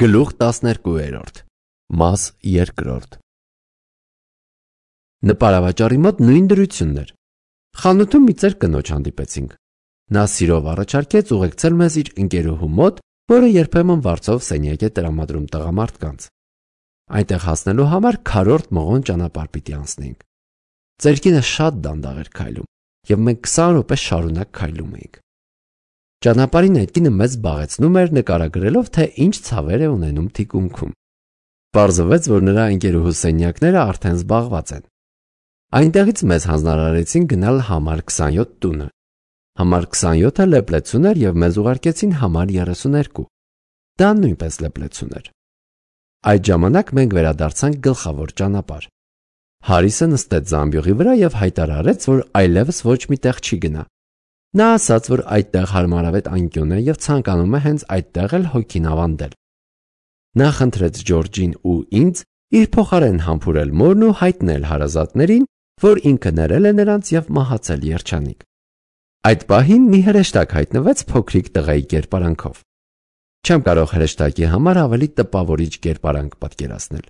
Գլուխ 12 Մաս 2 Նպարավաճառի մոտ նույն դրությունն էր։ Խանութում մի ծեր կնոջ հանդիպեցինք։ Նա սիրով առաջարկեց ուղեկցել մեզ իր ընկերուհու մոտ, որը երբեմն վարձով սենյակ է տրամադրում տղամարդկանց։ Այնտեղ հասնելու համար քառորդ մղոն ճանապարհ պիտի անցնեինք։ Ծերկինը շատ դանդաղ էր քայլում, եւ մենք 20 րոպե շարունակ քայլում էինք։ Ճանապարհին այդ կինը մեզ զբաղեցնում էր նկարագրելով, թե ինչ ցավեր է ունենում թիկունքում։ Պարզվեց, որ նրա ընկերուհու սենյակները արդեն զբաղված են։ Այնտեղից մեզ հանձնարարեցին գնալ համար 27 տունը։ Համար 27-ը լեպլեցուն էր եւ մեզ ուղարկեցին համար 32։ Դա նույնպես լեպլեցուն էր։ Այդ ժամանակ մենք վերադարձանք գլխավոր ճանապարհ։ Հարիսը նստեց զամբյուղի վրա եւ հայտարարեց, որ այլևս ոչ մի տեղ չի գնա։ Նա ասաց, որ այդտեղ հարմարավետ անկյուն է եւ ցանկանում է հենց այդտեղ էլ հոգին ավանդել։ Նա խնդրեց Ջորջին ու ինձ իր փոխարեն համբուրել մորն ու հայտնել հարազատներին, որ ինքը ներել է նրանց եւ մահացել երջանիկ։ Այդ պահին մի հրեշտակ հայտնվեց փոքրիկ տղայի կերպարանքով։ Չեմ կարող հրեշտակի համար ավելի տպավորիչ կերպարանք պատկերացնել։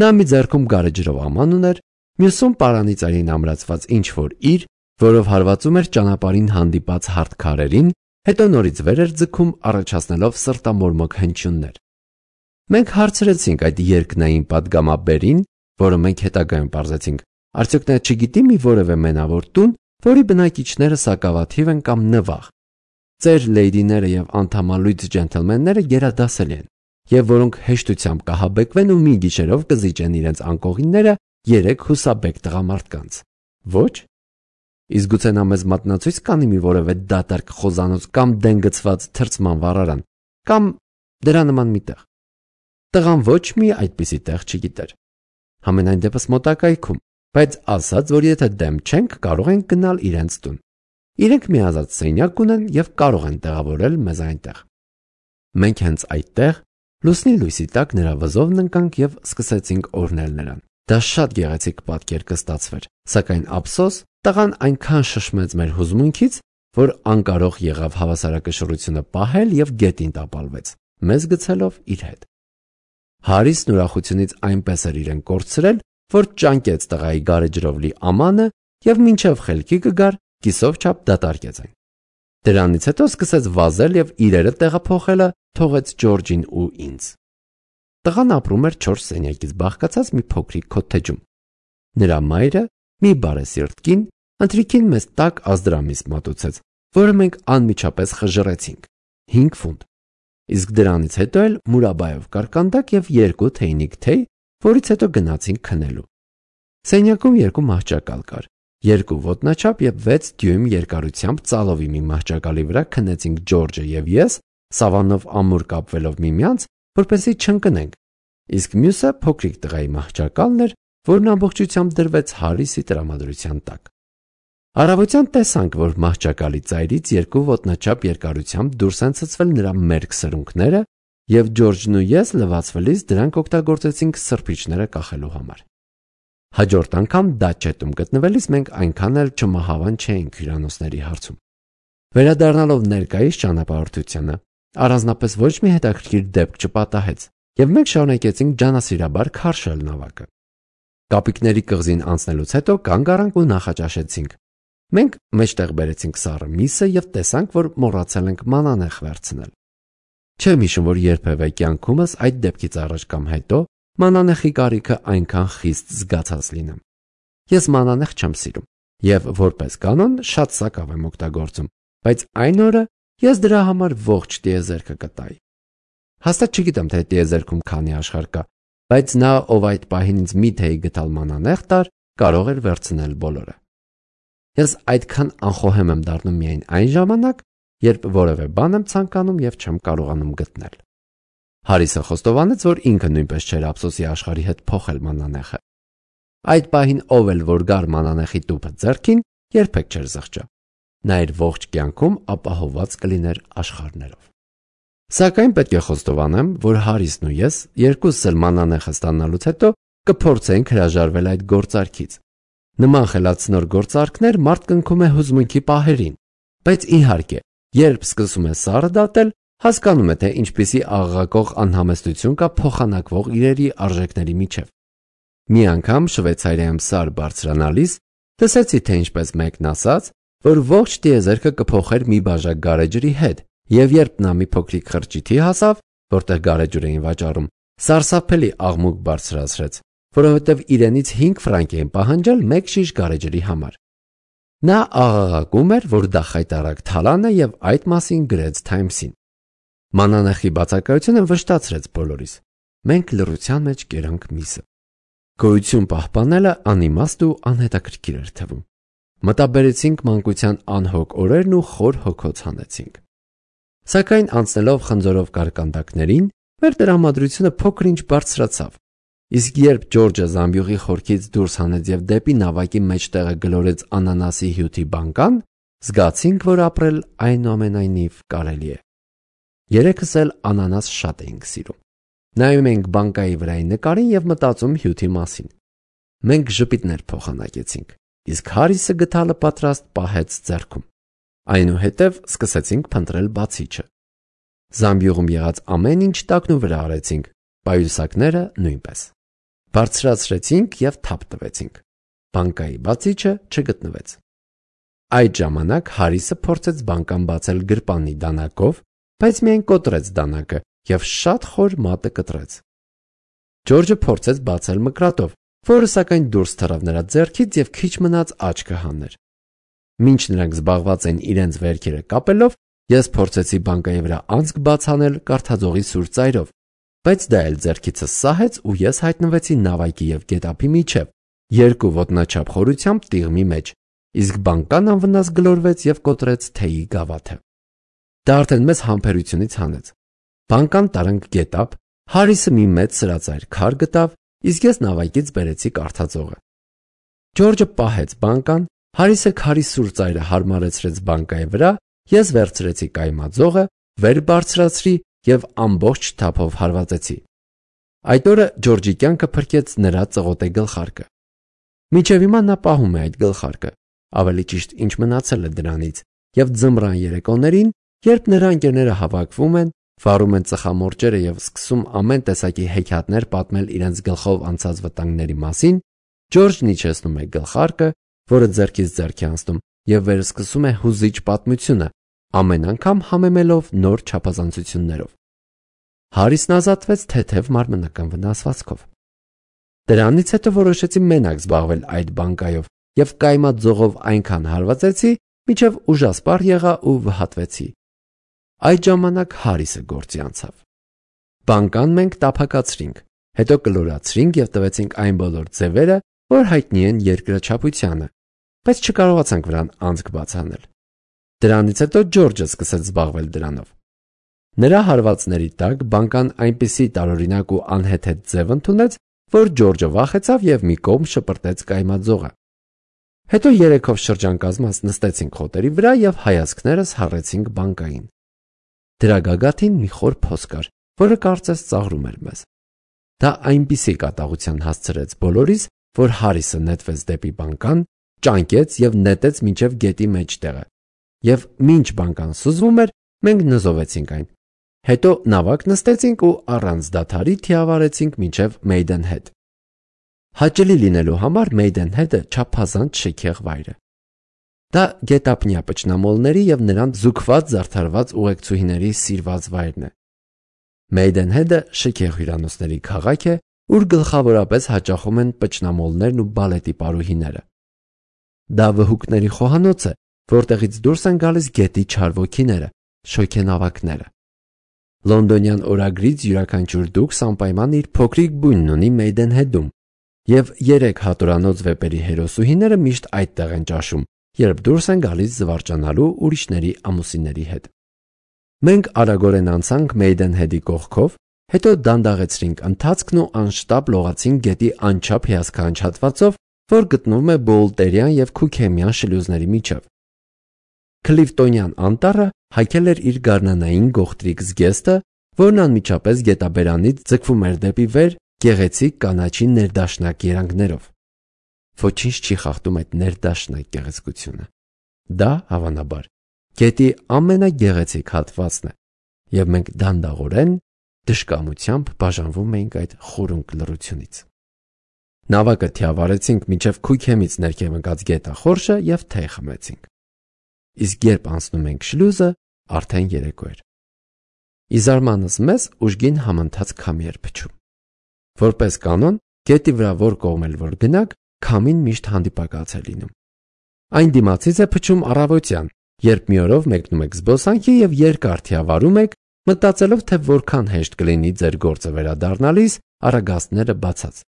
Նա մի ձեռքում գարեջրով աման ուներ, մյուսում պարանի ծայրին ամրացված ինչ-որ իր, որով հարվածում էր ճանապարհին հանդիպած հարթ քարերին, հետո նորից վեր էր ձգում, առաջացնելով սրտամորմոք հնչյուններ։ Մենք հարցրեցինք այդ երկնային պատգամաբերին, որը մենք հետագայում պարզեցինք, արդյոք նա չգիտի մի որևէ մենավոր տուն, որի բնակիչները սակավաթիվ են կամ նվաղ։ Ծեր լեյդիները եւ անդամալույծ ջենթլմենները գերադասելի են, եւ որոնք հեշտությամբ կահաբեկվեն ու մի գիշերով կզիջեն իրենց անկողինները 3 հուսաբեկ տղամարդկանց։ Ոչ։ Իսկ գուցե նա մեզ մատնացույց կանի մի որևէ դատարկ խոզանոց կամ դեն գցված թրծման վառարան, կամ դրա նման մի տեղ։ Տղան ոչ մի այդպիսի տեղ չգիտեր։ Համենայն դեպս մոտակայքում, բայց ասաց, որ եթե դեմ չենք, կարող ենք գնալ իրենց տուն։ Իրենք մի ազատ սենյակ ունեն եւ կարող են տեղավորել մեզ այնտեղ։ Մենք հենց այդտեղ լուսնի լույսի տակ նրա վզովն ընկանք եւ սկսեցինք օրհնել նրան։ Դա շատ գեղեցիկ պատկեր կստացվեր, սակայն ափսոս տղան այնքան շշմեց մեր հուզմունքից, որ անկարող եղավ հավասարակշռությունը պահել եւ գետին տապալվեց, մեզ գցելով իր հետ։ Հարիսն ուրախությունից այնպես էր իրեն կորցրել, որ ճանկեց տղայի գարեջրով լի ամանը եւ մինչեւ խելքի կգար, կիսով չափ դատարկեց այն։ Դրանից հետո սկսեց վազել եւ իրերը տեղափոխելը թողեց Ջորջին ու ինձ։ Տղան ապրում էր 4 սենյակից բաղկացած մի փոքրիկ քոթեջում։ Նրա մայրը, մի բարեսիրտ կին, ընթրիքին մեզ տաք ազդրամիս մատուցեց, որը մենք անմիջապես խժռեցինք 5 ֆունտ։ Իսկ դրանից հետո էլ մուրաբայով կարկանդակ եւ 2 թեյնիկ թեյ, որից հետո գնացինք քնելու։ Սենյակում 2 մահճակալ կար, 2 ոտնաչափ եւ 6 դյույմ երկարությամբ ծալովի մի մահճակալի վրա քնեցինք Ջորջը եւ ես, սավանով ամուր կապվելով միմյանց, որպեսզի չընկնենք, իսկ մյուսը փոքրիկ տղայի մահճակալն էր, որն ամբողջությամբ դրվեց Հարիսի տրամադրության տակ։ Առավոտյան տեսանք, որ մահճակալի ծայրից 2 ոտնաչափ երկարությամբ դուրս են ցցվել նրա մերկ սրունքները, եւ Ջորջն ու ես լվացվելիս դրանք օգտագործեցինք սրբիչները կախելու համար։ Հաջորդ անգամ դաչետում գտնվելիս մենք այնքան էլ չմահավան չէինք հյուրանոցների հարցում։ Վերադառնալով ներկայիս ճանապարհորդությանը, առանձնապես ոչ մի հետաքրքիր դեպք չպատահեց, եւ մենք շարունակեցինք ջանասիրաբար քարշել նավակը։ Կապիկների կղզին անցնելուց հետո կանգ առանք ու նախաճաշեցինք։ Մենք մեջտեղ բերեցինք սառը միսը եւ տեսանք, որ մոռացել ենք մանանեխ վերցնել։ Չեմ հիշում, որ երբևէ կյանքումս այդ դեպքից առաջ կամ հետո մանանեխի կարիքը այնքան խիստ զգացած լինեմ։ Ես մանանեխ չեմ սիրում եւ որպես կանոն շատ սակավ եմ օգտագործում, բայց այն օրը ես դրա համար ողջ տիեզերքը կտայի։ Հաստատ չգիտեմ, թե տիեզերքում քանի աշխարհ կա, բայց նա, ով այդ պահին ինձ մի թեյ գտալ մանանեխ տար, կարող էր վերցնել բոլորը։ Ես այդքան անխոհեմ եմ դառնում միայն այն ժամանակ, երբ որևէ բան եմ ցանկանում եւ չեմ կարողանում գտնել։ Հարիսը խոստովանեց, որ ինքը նույնպես չէր ափսոսի աշխարհի հետ փոխել մանանեխը։ Այդ պահին ով էլ որ գար մանանեխի տուփը ձեռքին, երբեք չէր զղջա։ Նա իր ողջ կյանքում ապահովված կլիներ աշխարհներով։ Սակայն պետք է խոստովանեմ, որ Հարիսն ու ես երկուսս էլ մանանեխը ստանալուց հետո կփորձենք հրաժարվել այդ գործարքից։ Նման խելացնոր գործարքներ մարդ կնքում է հուզմունքի պահերին, բայց իհարկե, երբ սկսում է սառը դատել, հասկանում է, թե ինչպիսի աղաղակող անհամեստություն կա փոխանակվող իրերի արժեքների միջև։ Մի անգամ Շվեյցարիայում սար բարձրանալիս տեսեցի, թե ինչպես մեկն ասաց, որ ողջ տիեզերքը կփոխեր մի բաժակ գարեջրի հետ, եւ երբ նա մի փոքրիկ խրճիթի հասավ, որտեղ գարեջուր էին վաճառում, սարսափելի աղմուկ բարձրացրեց, որովհետև իրենից 5 ֆրանկ էին պահանջել մեկ շիշ գարեջրի համար։ Նա աղաղակում էր, որ դա խայտառակ թալան է եւ այդ մասին գրեց Times-ին։ Մանանեխի բացակայությունը վշտացրեց բոլորիս։ Մենք լռության մեջ կերանք միսը։ Գոյություն պահպանելը անիմաստ ու անհետաքրքիր էր թվում։ Մտաբերեցինք մանկության անհոգ օրերն ու խոր հոգոց հանեցինք։ Սակայն անցնելով խնձորով կարկանդակներին, մեր տրամադրությունը փոքր-ինչ բարձրացավ։ Իսկ երբ Ջորջը զամբյուղի խորքից դուրս հանեց եւ դեպի նավակի մեջտեղը գլորեց անանասի հյութի բանկան, զգացինք, որ ապրել այնուամենայնիվ կարելի է։ Երեքս էլ անանաս շատ էինք սիրում։ Նայում էինք բանկայի վրայի նկարին եւ մտածում հյութի մասին։ Մենք ժպիտներ փոխանակեցինք, իսկ Հարիսը գդալը պատրաստ պահեց ձեռքում։ Այնուհետև սկսեցինք փնտրել բացիչը։ Զամբյուղում եղած ամեն ինչ տակնու վրա արեցինք, պայուսակները նույնպես։ Բարձրացրեցինք եւ թափ տվեցինք։ Բանկայի բացիչը չգտնվեց։ Այդ ժամանակ Հարիսը փորձեց բանկան բացել գրպանի դանակով, բայց միայն կոտրեց դանակը եւ շատ խոր մատը կտրեց։ Ջորջը փորձեց բացել մկրատով, որը սակայն դուրս թռավ նրա ձեռքից եւ քիչ մնաց աչքը հաներ։ Մինչ նրանք զբաղված են իրենց վերքերը կապելով, ես փորձեցի բանկայի վրա անցք բաց անել կարթաձողի սուր ծայրով, բայց դա էլ ձեռքիցս սահեց ու ես հայտնվեցի նավակի եւ գետափի միջև, երկու ոտնաչափ խորությամբ տիղմի մեջ, իսկ բանկան անվնաս գլորվեց եւ կոտրեց թեյի գավաթը։ Դա արդեն մեզ համբերությունից հանեց։ Բանկան տարանք գետափ, Հարիսը մի մեծ սրածայր քար գտավ, իսկ ես նավակից բերեցի կարթաձողը։ Ջորջը պահեց բանկան, Հարիսը քարի սուր ծայրը հարմարեցրեց բանկայի վրա, ես վերցրեցի կայմաձողը, վեր բարձրացրի եւ ամբողջ թափով հարվածեցի։ Այդ օրը Ջորջի կյանքը փրկեց նրա ծղոտե գլխարկը։ Մինչև հիմա նա պահում է այդ գլխարկը, ավելի ճիշտ ինչ մնացել է դրանից, եւ ձմռան երեկոներին, երբ նրա ընկերները հավաքվում են, վառում են ծխամորճերը եւ սկսում ամեն տեսակի հեքիաթներ պատմել իրենց գլխով անցած վտանգների մասին, Ջորջն իջեցնում է գլխարկը, որը ձեռքից ձեռքի անցնում, եւ վերսկսում է հուզիչ պատմությունը, ամեն անգամ համեմելով նոր չափազանցություններով։ Հարիսն ազատվեց թեթև մարմնական վնասվածքով։ Դրանից հետո որոշեցի մենակ զբաղվել այդ բանկայով եւ կայմաձողով այնքան հարվածեցի, մինչև ուժասպառ եղա ու վհատվեցի։ Այդ ժամանակ Հարիսը գործի անցավ։ Բանկան մենք տափակացրինք, հետո կլորացրինք եւ տվեցինք այն բոլոր ձևերը, որ հայտնի են երկրաչափությանը, բայց չկարողացանք վրան անցք բաց անել։ Դրանից հետո Ջորջը սկսեց զբաղվել դրանով։ Նրա հարվածների տակ բանկան այնպիսի տարօրինակ ու անհեթեթ ձև ընդունեց, որ Ջորջը վախեցավ եւ մի կողմ շպրտեց կայմաձողը։ Հետո երեքով շրջանկազմած նստեցինք խոտերի վրա եւ հայացքներս հառեցինք բանկային։ Դրա գագաթին մի խոր փոս կար, որը կարծես ծաղրում էր մեզ։ Դա այնպիսի կատաղության հասցրեց բոլորիս, որ Հարիսը նետվեց դեպի բանկան, ճանկեց եւ նետեց մինչև գետի մեջտեղը։ Եվ մինչ բանկան սուզվում էր, մենք նզովեցինք այն։ Հետո նավակ նստեցինք ու առանց դադարի թիավարեցինք մինչև Maidenhead։ Հաճելի լինելու համար Maidenhead-ը չափազանց շքեղ վայր է։ Դա գետափնյա պճնամոլների եւ նրանց զուգված զարդարված ուղեկցուհիների սիրված վայրն է։ Maidenhead-ը շքեղ հյուրանոցների քաղաք է, ուր գլխավորապես հաճախում են պճնամոլներն ու բալետի պարուհիները։ Դա վհուկների խոհանոց է, որտեղից դուրս են գալիս գետի չար ոգիները, շոգենավակները։ Լոնդոնյան օրագրից յուրաքանչյուր դուքս անպայման իր փոքրիկ բույնն ունի Maidenhead-ում, եւ 3 հատորանոց վեպերի հերոսուհիները միշտ այդտեղ են ճաշում, երբ դուրս են գալիս զվարճանալու ուրիշների ամուսինների հետ։ Մենք արագորեն անցանք Maidenhead-ի կողքով, հետո դանդաղեցրինք ընթացքն ու անշտապ լողացինք գետի անչափ հիասքանչ հատվածով, որ գտնվում է Բոլտերյան եւ Քուքեմյան շլյուզների միջև։ Քլիֆտոնյան անտառը հայքել էր իր գարնանային գողտրիկ զգեստը, որն անմիջապես գետաբերանից ձգվում էր դեպի վեր գեղեցիկ կանաչի ներդաշնակ երանգներով։ Ոչինչ չի խախտում այդ ներդաշնակ գեղեցկությունը։ Դա, հավանաբար, գետի ամենագեղեցիկ հատվածն է, եւ մենք դանդաղորեն դժկամությամբ բաժանվում էինք այդ խորունկ լռությունից։ Նավակը թիավարեցինք մինչև քույքեմից ներքև ընկած գետախորշը եւ թեյ խմեցինք։ Իսկ երբ անցնում ենք շլյուզը, արդեն երեկո էր։ Ի զարմանս մեզ ուժգին համընթաց քամի էր փչում։ Որպես կանոն, գետի վրա որ կողմ էլ որ գնաք, քամին միշտ հանդիպակաց է լինում։ Այն դիմացից է փչում առավոտյան, երբ մի օրով մեկնում եք զբոսանքի եւ երկար թիավարում եք, մտածելով թե որքան հեշտ կլինի ձեր գործը վերադառնալիս արագաստները բացած։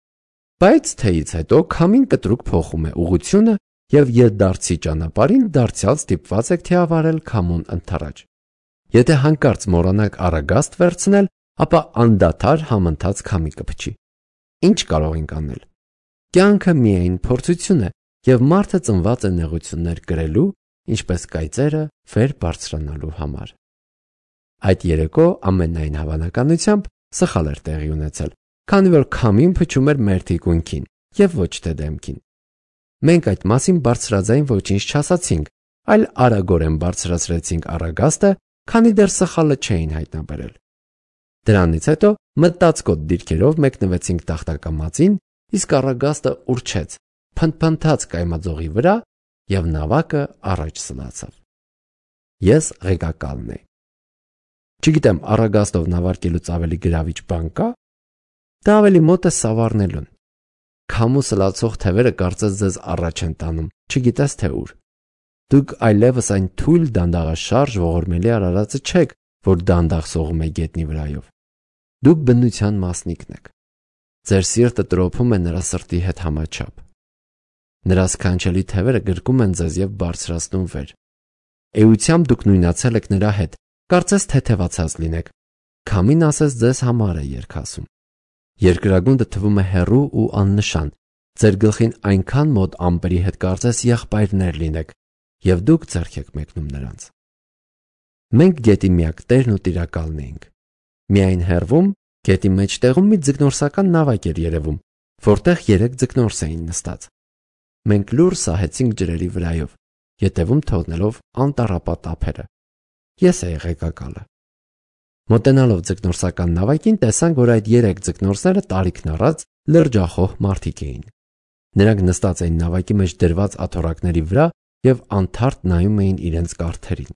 Բայց թեյից հետո քամին կտրուկ փոխում է ուղղությունը եւ ետդարձի ճանապարհին դարձյալ ստիպված եք թիավարել քամուն ընդառաջ։ Եթե հանկարծ մոռանաք արագաստ վերցնել, ապա անդադար համընթաց քամի կփչի։ Ինչ կարող ենք անել։ Կյանքը միայն փորձություն է եւ մարդը ծնված է նեղություններ կրելու, ինչպես կայծերը վեր բարձրանալու համար։ Այդ երեկո ամենայն հավանականությամբ սխալ էր տեղի ունեցել, քանի որ քամին փչում էր մեր թիկունքին եւ ոչ թե դեմքին։ Մենք այդ մասին բարձրաձայն ոչինչ չասացինք, այլ արագորեն բարձրացրեցինք առագաստը, քանի դեռ սխալը չէին հայտնաբերել։ Դրանից հետո մտածկոտ դիրքերով մեկնվեցինք տախտակամածին, իսկ առագաստը ուռչեց, փնթփնթաց կայմաձողի վրա եւ նավակը առաջ սլացավ։ Ես ղեկակալն էի։ Չգիտեմ, առագաստով նավարկելուց ավելի գրավիչ բան կա։ Դա ավելի մոտ է սավառնելուն։ Քամու սլացող թևերը կարծես ձեզ առաջ են տանում, չգիտես թե ուր։ Դուք այլևս այն թույլ դանդաղաշարժ ողորմելի արարածը չեք, որ դանդաղ սողում է գետնի վրայով։ Դուք բնության մասնիկն եք։ Ձեր սիրտը տրոփում է նրա սրտի հետ համաչափ։ Նրա սքանչելի թևերը գրկում են ձեզ եւ բարձրացնում վեր։ Էությամբ դուք նույնացել եք նրա հետ, կարծես թեթևացած լինեք։ Քամին ասես ձեզ համար է երգասում։ Երկրագունդը թվում է հեռու ու աննշան, ձեր գլխին այնքան մոտ ամպերի հետ կարծես եղբայրներ լինեք, եւ դուք ձեռք եք մեկնում նրանց։ Մենք գետի միակ տերն ու տիրակալն էինք։ Միայն հեռվում, գետի մեջտեղում մի ձկնորսական նավակ էր երևում, որտեղ 3 ձկնորս էին նստած։ Մենք լուր սահեցինք ջրերի վրայով, ետևում թողնելով անտառապատ ափերը։ Ես էի ղեկակալը։ Մոտենալով ձկնորսական նավակին տեսանք, որ այդ 3 ձկնորսները տարիքն առած լրջախոհ մարդիկ էին։ Նրանք նստած էին նավակի մեջ դրված աթոռակների վրա եւ անթարթ նայում էին իրենց կարթերին։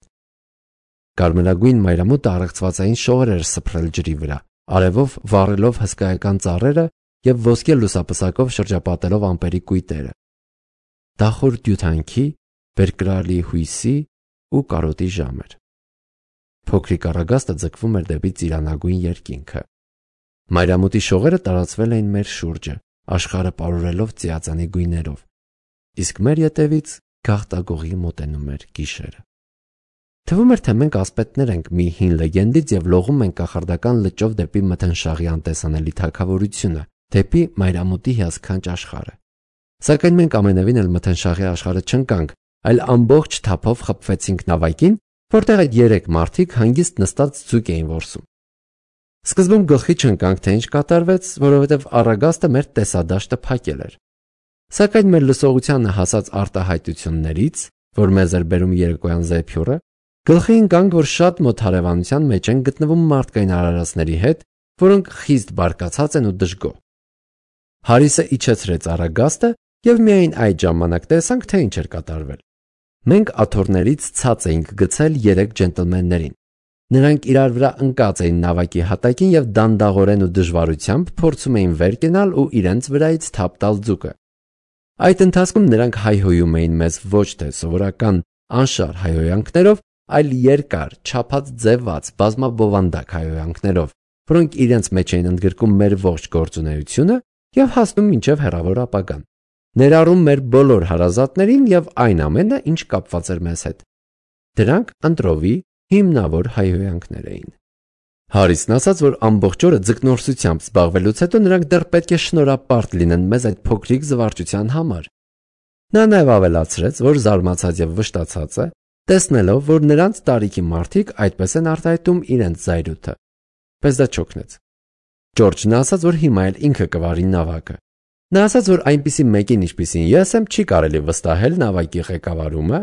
Կարմրագույն մայրամուտը առեղծվածային շողեր էր սփռել ջրի վրա, արևով վառելով հսկայական ծառերը եւ ոսկե լուսապսակով շրջապատելով ամպերի կույտերը։ Դախոր դյութանքի, բերկրալի հույսի ու կարոտի ժամ էր։ Փոքրիկ առագաստը ձգվում էր դեպի ծիրանագույն երկինքը։ Մայրամուտի շողերը տարածվել էին մեր շուրջը, աշխարհը պարուրելով ծիածանի գույներով, իսկ մեր ետևից գաղտագողի մոտենում էր գիշերը։ Թվում էր, թե մենք ասպետներ ենք մի հին լեգենդից եւ լողում ենք կախարդական լճով դեպի մթնշաղի անտեսանելի թագավորությունը, դեպի մայրամուտի հիասքանչ աշխարհը։ Սակայն մենք ամենևին էլ մթնշաղի աշխարհը չընկանք, այլ ամբողջ թափով խփվեցինք նավակին, որտեղ այդ 3 մարդիկ հանգիստ նստած ձուկ էին որսում։ Սկզբում գլխի չընկանք, թե ինչ կատարվեց, որովհետև առագաստը մեր տեսադաշտը փակել էր։ Սակայն մեր լսողությանը հասած արտահայտություններից, որ մեզ էր բերում երեկոյան զեփյուռը, գլխի ընկանք, որ շատ մոտ հարևանության մեջ են գտնվում մարդկային արարածների հետ, որոնք խիստ բարկացած են ու դժգոհ։ Հարիսը իջեցրեց առագաստը եւ միայն այդ ժամանակ տեսանք, թե ինչ էր կատարվել։ Մենք աթոռներից ցած էինք գցել 3 ջենտլմեններին։ Նրանք իրար վրա ընկած էին նավակի հատակին եւ դանդաղորեն ու դժվարությամբ փորձում էին վեր կենալ ու իրենց վրայից թափ տալ ձուկը։ Այդ ընթացքում նրանք հայհոյում էին մեզ ոչ թե սովորական անշար հայհոյանքներով, այլ երկար, չափած ձևված, բազմաբովանդակ հայհոյանքներով, որոնք իրենց մեջ էին ընդգրկում մեր ողջ գործունեությունը եւ հասնում մինչեւ հեռավոր ապագան, ներառում մեր բոլոր հարազատներին եւ այն ամենը, ինչ կապված էր մեզ հետ։ Դրանք ընտրովի հիմնավոր հայհոյանքներ էին։ Հարիսն ասաց, որ ամբողջ օրը ձկնորսությամբ զբաղվելուց հետո նրանք դեռ պետք է շնորհապարտ լինեն մեզ այդ փոքրիկ զվարճության համար։ Նա նաև ավելացրեց, որ զարմացած եւ վշտացած է, տեսնելով, որ նրանց տարիքի մարդիկ այդպես են արտահայտում իրենց զայրույթը։ Բայց դա չօգնեց։ Ջորջն ասաց, որ հիմա էլ ինքը կվարի նավակը։ Նա ասաց, որ այնպիսի մեկին, ինչպիսին ես եմ, չի կարելի վստահել նավակի ղեկավարումը,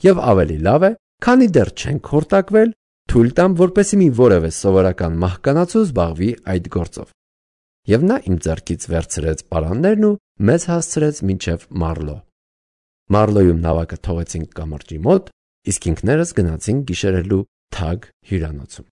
եւ ավելի լավ է, քանի դեռ չենք խորտակվել, թույլ տամ, որպեսզի մի որևէ սովորական մահկանացու զբաղվի այդ գործով։ Եվ նա իմ ձեռքից վերցրեց պարաններն ու մեզ հասցրեց մինչև Մարլո։ Մարլոյում նավակը թողեցինք կամրջի մոտ, իսկ ինքներս գնացինք գիշերելու Թագ հյուրանոցում։